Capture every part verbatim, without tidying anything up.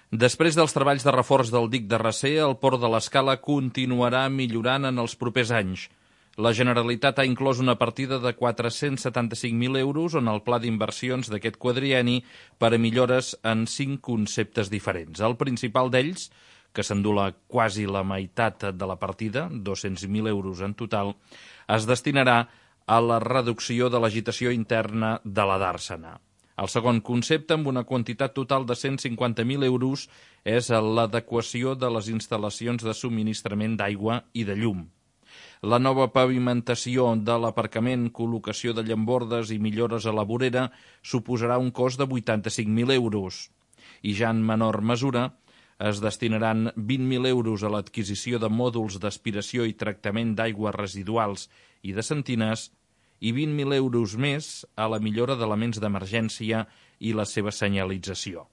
Després dels treballs de reforç del dic de Recer, el Port de l'Escala continuarà millorant en els propers anys. La Generalitat ha inclòs una partida de quatre-cents setanta-cinc mil euros en el pla d'inversions d'aquest quadrienni per a millores en cinc conceptes diferents. El principal d'ells, que s'endula quasi la meitat de la partida, dos-cents mil euros en total, es destinarà a la reducció de l'agitació interna de la Dàrsena. El segon concepte, amb una quantitat total de cent cinquanta mil euros, és l'adequació de les instal·lacions de subministrament d'aigua i de llum. La nova pavimentació de l'aparcament, col·locació de llambordes i millores a la vorera suposarà un cost de vuitanta-cinc mil euros. I ja en menor mesura es destinaran vint mil euros a l'adquisició de mòduls d'aspiració i tractament d'aigües residuals i de sentines i vint mil euros més a la millora d'elements d'emergència i la seva senyalització.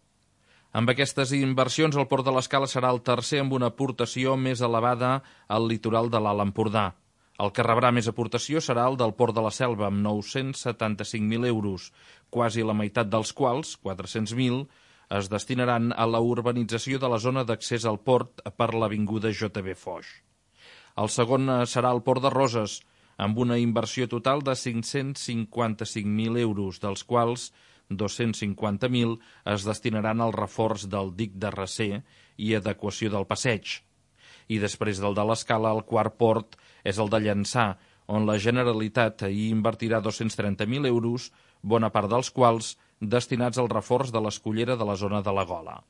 Amb aquestes inversions, el Port de l'Escala serà el tercer amb una aportació més elevada al litoral de l'Alt Empordà. El que rebrà més aportació serà el del Port de la Selva, amb nou-cents setanta-cinc mil euros, quasi la meitat dels quals, quatre-cents mil, es destinaran a la urbanització de la zona d'accés al port per l'avinguda J B Foix. El segon serà el Port de Roses, amb una inversió total de cinc-cents cinquanta-cinc mil euros, dels quals dos-cents cinquanta mil es destinaran al reforç del dic de Recer i adequació del passeig. I després del de l'Escala, el quart port és el de Llançà, on la Generalitat hi invertirà dos-cents trenta mil euros, bona part dels quals destinats al reforç de l'escollera de la zona de la Gola.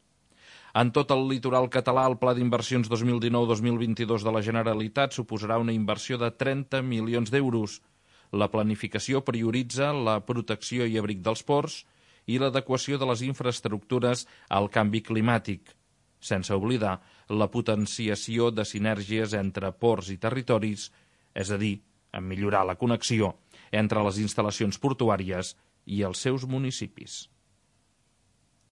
En tot el litoral català, el Pla d'Inversions dos mil dinou dos mil vint-i-dos de la Generalitat suposarà una inversió de trenta milions d'euros. La planificació prioritza la protecció i abric dels ports i l'adequació de les infraestructures al canvi climàtic, sense oblidar la potenciació de sinergies entre ports i territoris, és a dir, en millorar la connexió entre les instal·lacions portuàries i els seus municipis.